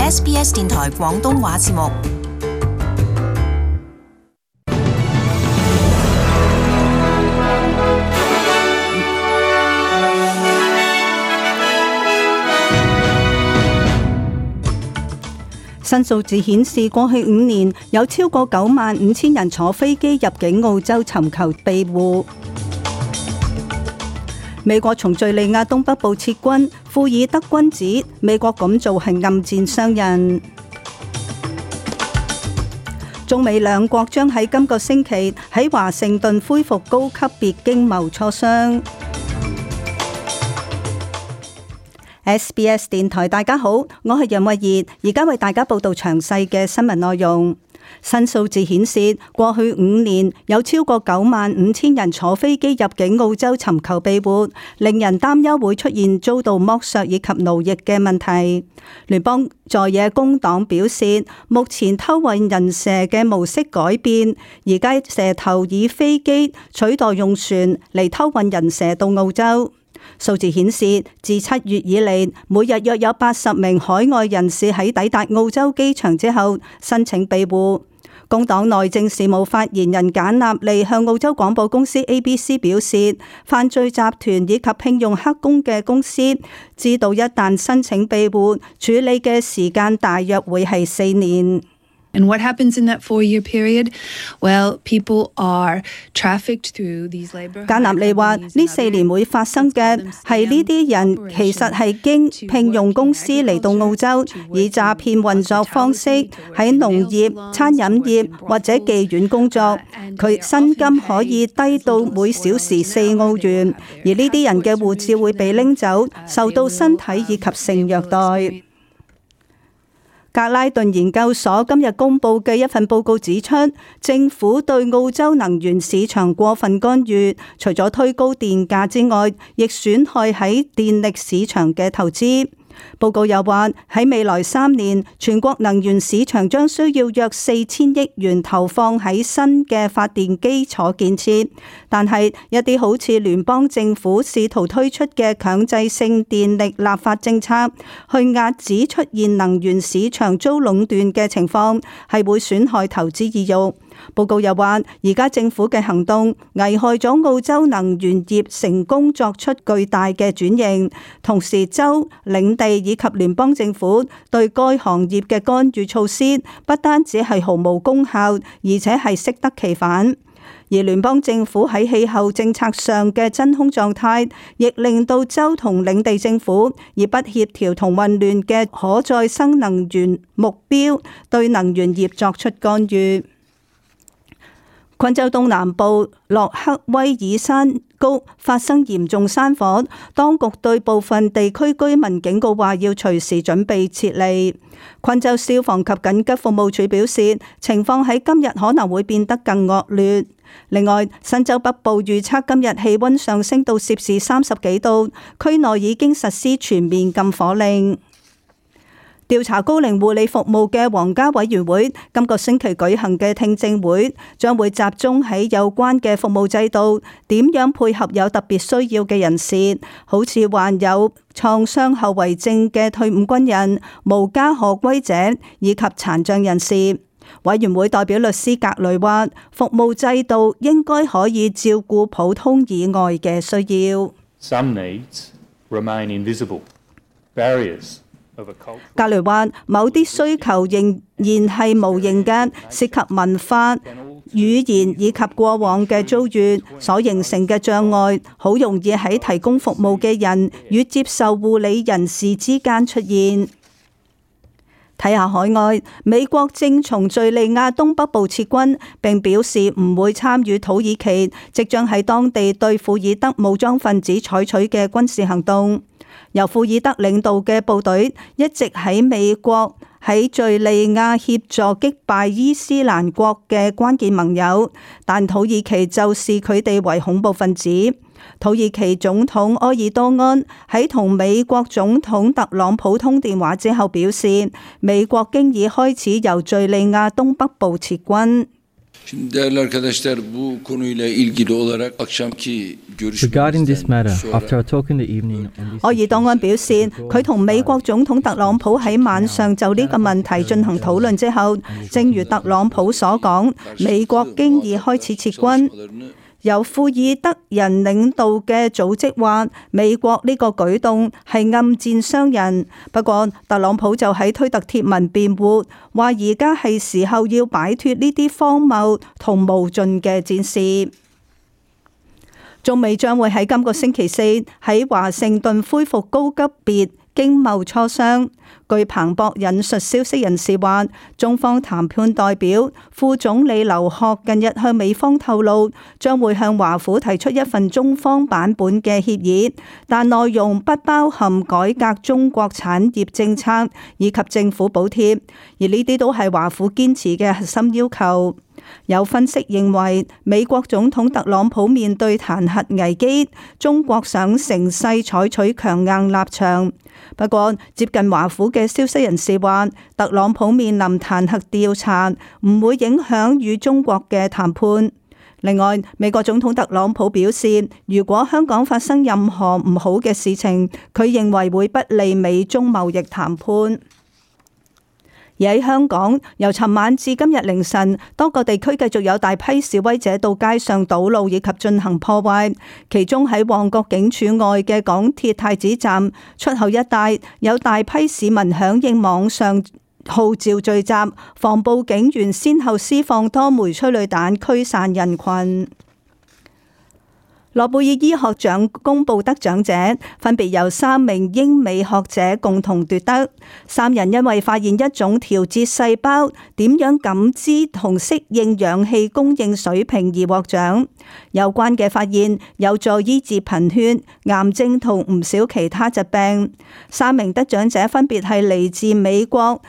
SBS 電台廣東話節目。新數字顯示，過去5年有超過95,000人坐飛機入境澳洲尋求庇護。美國從敘利亞東北部撤軍，庫爾德軍指美國咁做係暗箭傷人。中美兩國將喺今個星期喺華盛頓恢復高級別經貿磋商。SBS 電台，大家好，我係楊慧儀，而家為大家報道詳細嘅新聞內容。新數字顯示，過去5年有超過95,000人坐飛機入境澳洲尋求庇護，令人擔憂會出現遭到剝削以及奴役嘅問題。聯邦在野工黨表示，目前偷運人蛇嘅模式改變，而家蛇頭以飛機取代用船嚟偷運人蛇到澳洲。數字顯示，自7月以嚟，每日約有80名海外人士喺抵達澳洲機場之後申請庇護。工黨內政事務發言人簡納利向澳洲廣播公司 ABC 表示，犯罪集團以及聘用黑工嘅公司知道一旦申請庇護，處理嘅時間大約會係4年。And what happens in that 4-year period? Well, people are trafficked through these labor. 簡納利話：呢4年會發生嘅係呢啲人其實係經聘用公司嚟到澳洲，以詐騙運作方式喺農業、餐飲業或者妓院工作。佢薪金可以低到每小時4澳元，而呢啲人嘅護照會被拎走，受到身體以及性虐待。格拉頓研究所今日公布嘅一份報告指出，政府對澳洲能源市場過分干預，除咗推高電價之外，亦損害喺電力市場嘅投資。報告又話，喺未來3年，全國能源市場將需要約4000億元投放喺新嘅發電基礎建設，但係一啲好似聯邦政府試圖推出嘅強制性電力立法政策，去遏止出現能源市場遭壟斷嘅情況，係會損害投資意欲。報告又話，而家政府嘅行動危害咗澳洲能源業成功作出巨大嘅轉型，同時州、領地以及聯邦政府對該行業嘅干預措施不單止係毫無功效，而且係適得其反。而聯邦政府喺氣候政策上嘅真空狀態，亦令到州同領地政府以不協調同混亂嘅可再生能源目標對能源業作出干預。昆州東南部洛克威爾山谷發生嚴重山火，當局對部分地區居民警告話要隨時準備撤離。昆州消防及緊急服務處表示，情況喺今日可能會變得更惡劣。另外，新州北部預測今日氣溫上升到攝氏30幾度，區內已經實施全面禁火令。調查高齡護理服務嘅皇家委員會今個星期舉行嘅聽證會，將會集中喺有關嘅服務制度點樣配合有特別需要嘅人士，好似患有創傷後遺症嘅退伍軍人、無家可歸者以及殘障人士。委員會代表律師格雷話，服務制度應該可以照顧普通以外嘅需要。Some needs remain invisible. Barriers格雷話：某啲需求仍然係無形嘅，涉及文化、語言以及過往嘅遭遇所形成嘅障礙，好容易喺提供服務嘅人與接受護理人士之間出現。睇下海外，美國正從敘利亞東北部撤軍，並表示唔會參與土耳其即將喺當地對庫爾德武裝分子採取嘅軍事行動。由庫爾德領導嘅部隊一直喺美國喺敘利亞協助擊敗伊斯蘭國嘅關鍵盟友，但土耳其就視佢哋為恐怖分子。土耳其總統埃爾多安喺同美國總統特朗普通電話之後表示，美國經已開始由敘利亞東北部撤軍。Regarding this matter, after a talk in the evening on this 柯爾多安表示，佢同美國總統特朗普喺晚上就呢個問題進行討論之後，正如特朗普所講，美國經已開始撤軍。由庫爾德人領導嘅組織話，美國呢個舉動係暗箭傷人。不過，特朗普就喺推特貼文辯護，話而家係時候要擺脫呢啲荒謬同無盡嘅戰事。中美將會喺今個星期四喺華盛頓恢復高級別經貿磋商。據彭博引述消息人士話，中方談判代表副總理劉鶴近日向美方透露，將會向華府提出一份中方版本嘅協議，但內容不包含改革中國產業政策以及政府補貼，而呢啲都係華府堅持嘅核心要求。有分析認為，美國總統特朗普面對彈劾危機，中國想乘勢採取強硬立場。不過，接近華府嘅消息人士話，特朗普面臨彈劾調查，唔會影響與中國嘅談判。另外，美國總統特朗普表示，如果香港發生任何唔好嘅事情，佢認為會不利美中貿易談判。而喺香港，由尋晚至今日凌晨，多個地區繼續有大批示威者到街上堵路以及進行破壞。其中喺旺角警署外嘅港鐵太子站出口一帶，有大批市民響應網上號召聚集，防暴警員先後施放多枚催淚彈驅散人群。諾貝爾醫學獎公佈得獎者，分別由3名英美學者共同奪得。3人因為發現一種調節細胞點樣感知同適應氧氣供應水平而獲獎。有關嘅發現有助醫治貧血、癌症同唔少其他疾病。3名得獎者分別係嚟自美國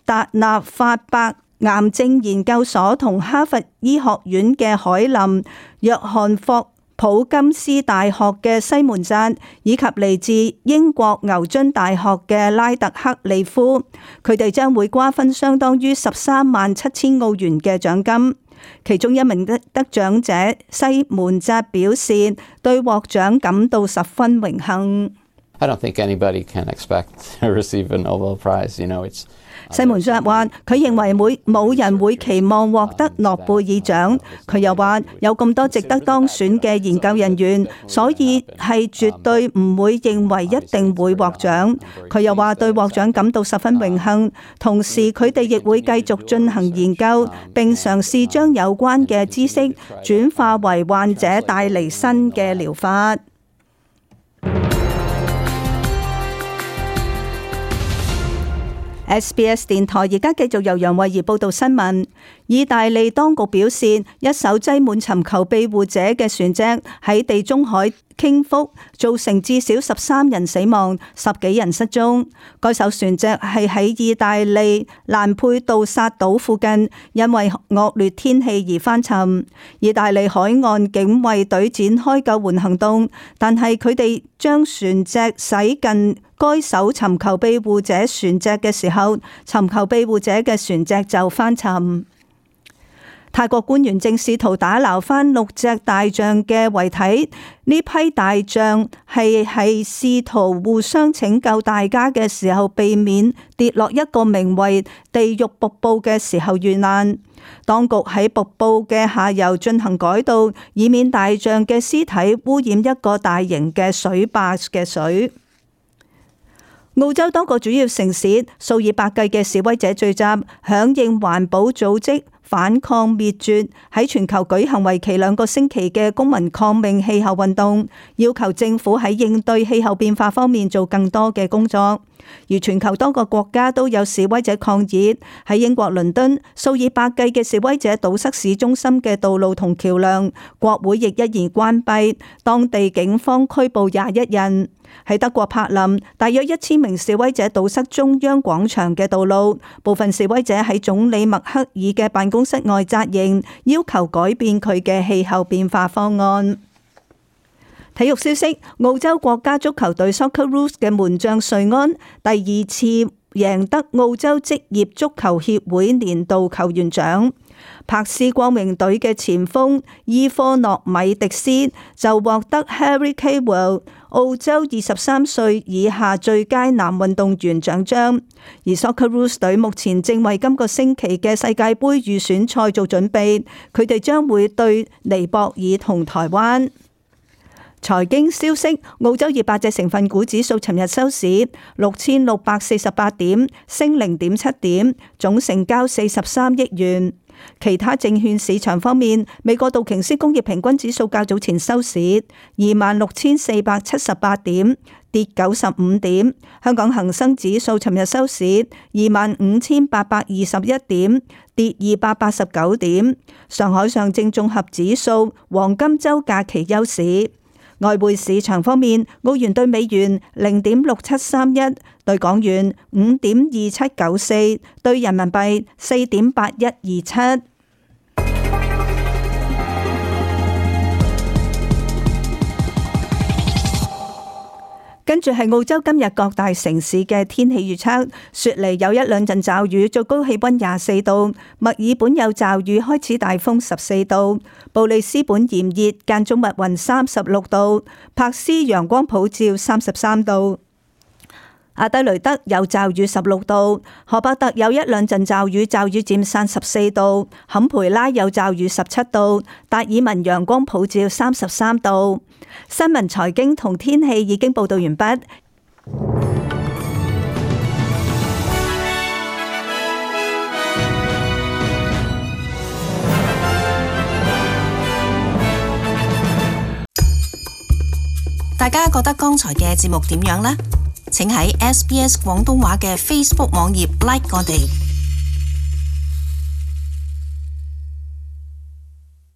達納法伯癌症研究所同哈佛醫學院嘅海林、約翰霍普金斯大學嘅西門扎，以及嚟自英國牛津大學嘅拉特克利夫，佢哋將會瓜分相當於137000澳元嘅獎金。其中一名得獎者西門扎表示，對獲獎感到十分榮幸。I don't think anybody can expect to receive a Nobel Prize. It's 西門扎話：佢認為冇人會期望獲得諾貝爾獎。佢又話：有咁多值得當選嘅研究人員，所以係絕對唔會認為一定會獲獎。佢又話對獲獎感到十分榮幸，同時佢哋亦會繼續進行研究，並嘗試將有關嘅知識轉化為患者帶嚟新嘅療法。SBS 電台而家繼續由楊慧儀報道新聞。意大利當局表示，一艘載滿尋求庇護者嘅船隻喺地中海傾覆，造成至少13人死亡，10幾人失蹤。該艘船隻係喺意大利蘭佩杜薩島附近，因為惡劣天氣而翻沉。意大利海岸警衛隊展開救援行動，但係佢哋將船隻駛近該艘尋求庇護者船隻嘅時候，尋求庇護者嘅船隻就翻沉。泰國官員正試圖打撈翻6隻大象嘅遺體，呢批大象係試圖互相拯救大家嘅時候，避免跌落一個名為地獄瀑布嘅時候遇難。當局喺瀑布嘅下游進行改道，以免大象嘅屍體污染一個大型嘅水壩嘅水。澳洲多個主要城市數以百計嘅示威者聚集，響應環保組織反抗滅絕喺全球舉行為期2個星期嘅公民抗命氣候運動，要求政府喺應對氣候變化方面做更多嘅工作。而全球多個國家都有示威者抗議，喺英國倫敦，數以百計嘅示威者堵塞市中心嘅道路同橋樑，國會亦一言關閉，當地警方拘捕21人。喺德國柏林，大約1000名示威者堵塞中央廣場嘅道路，部分示威者喺總理默克爾嘅辦公室外紮營，要求改變佢嘅氣候變化方案。體育消息，澳洲國家足球隊 Socceroos 嘅門將瑞安第2次贏得澳洲職業足球協會年度球員獎。柏斯光榮隊嘅前鋒伊科諾米迪斯就獲得 Harry Kewell 澳洲23歲以下最佳男運動員獎章。而 Socceroos 隊目前正為今個星期嘅世界盃預選賽做準備，佢哋將會對尼泊爾同台灣。財經消息，澳洲200隻成分股指數尋日收市6648點，升0.7點，總成交43億元。其他證券市場方面，美國道瓊斯工業平均指數較早前收市26,478點，跌95點。香港恒生指數尋日收市25,821點，跌289點。上海上證綜合指數黃金週假期休市。外匯市場方面，澳元對美元0.6731，對港元5.2794，對人民幣4.8127。跟住係澳洲今日各大城市嘅天氣預測，雪梨有1兩陣驟雨，最高氣溫24度；墨爾本有驟雨，開始大風14度；布里斯本炎熱，間中密雲36度；柏斯陽光普照33度；阿德雷德有驟雨16度；荷伯特有1兩陣驟雨，驟雨佔散14度；坎培拉有驟雨17度；達爾文陽光普照33度。新聞、財經同天氣已經報道完畢。大家覺得剛才嘅節目點樣呢？請喺SBS 廣東話嘅 Facebook 網頁 like 我哋。